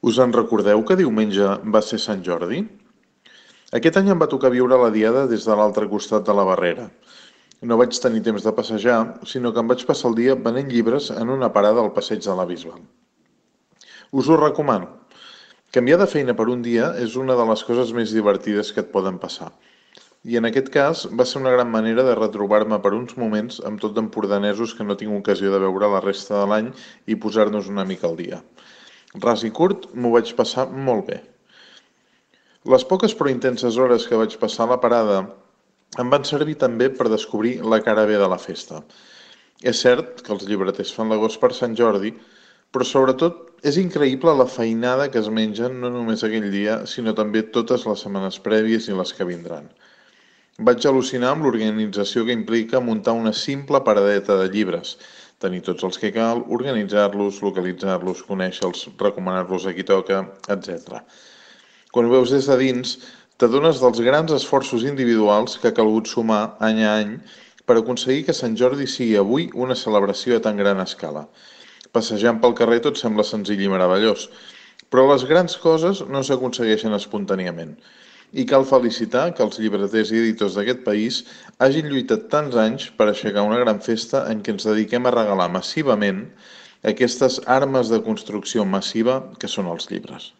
Us en recordeu que diumenge va ser Sant Jordi? Aquest any em va tocar viure la diada des de l'altre costat de la barrera. No vaig tenir temps de passejar, sinó que em vaig passar el dia venent llibres en una parada al passeig de la Bisbal. Us ho recomano. Canviar de feina per un dia és una de les coses més divertides que et poden passar. I en aquest cas va ser una gran manera de retrobar-me per uns moments amb tot d'empordanesos que no tinc ocasió de veure la resta de l'any i posar-nos una mica al dia. Ras i curt, m'ho vaig passar molt bé. Les poques però intenses hores que vaig passar a la parada em van servir també per descobrir la cara B de la festa. És cert que els llibreters fan l'agost per Sant Jordi, però sobretot és increïble la feinada que es mengen no només aquell dia, sinó també totes les setmanes prèvies i les que vindran. Vaig al·lucinar amb l'organització que implica muntar una simple paradeta de llibres, tenir tots els que cal, organitzar-los, localitzar-los, conèixer-los, recomanar-los a qui toca, etc. Quan ho veus des de dins, t'adones dels grans esforços individuals que ha calgut sumar any a any per aconseguir que Sant Jordi sigui avui una celebració a tan gran escala. Passejant pel carrer tot sembla senzill i meravellós, però les grans coses no s'aconsegueixen espontàniament. I cal felicitar que els llibreters i editors d'aquest país hagin lluitat tants anys per aixecar una gran festa en què ens dediquem a regalar massivament aquestes armes de construcció massiva que són els llibres.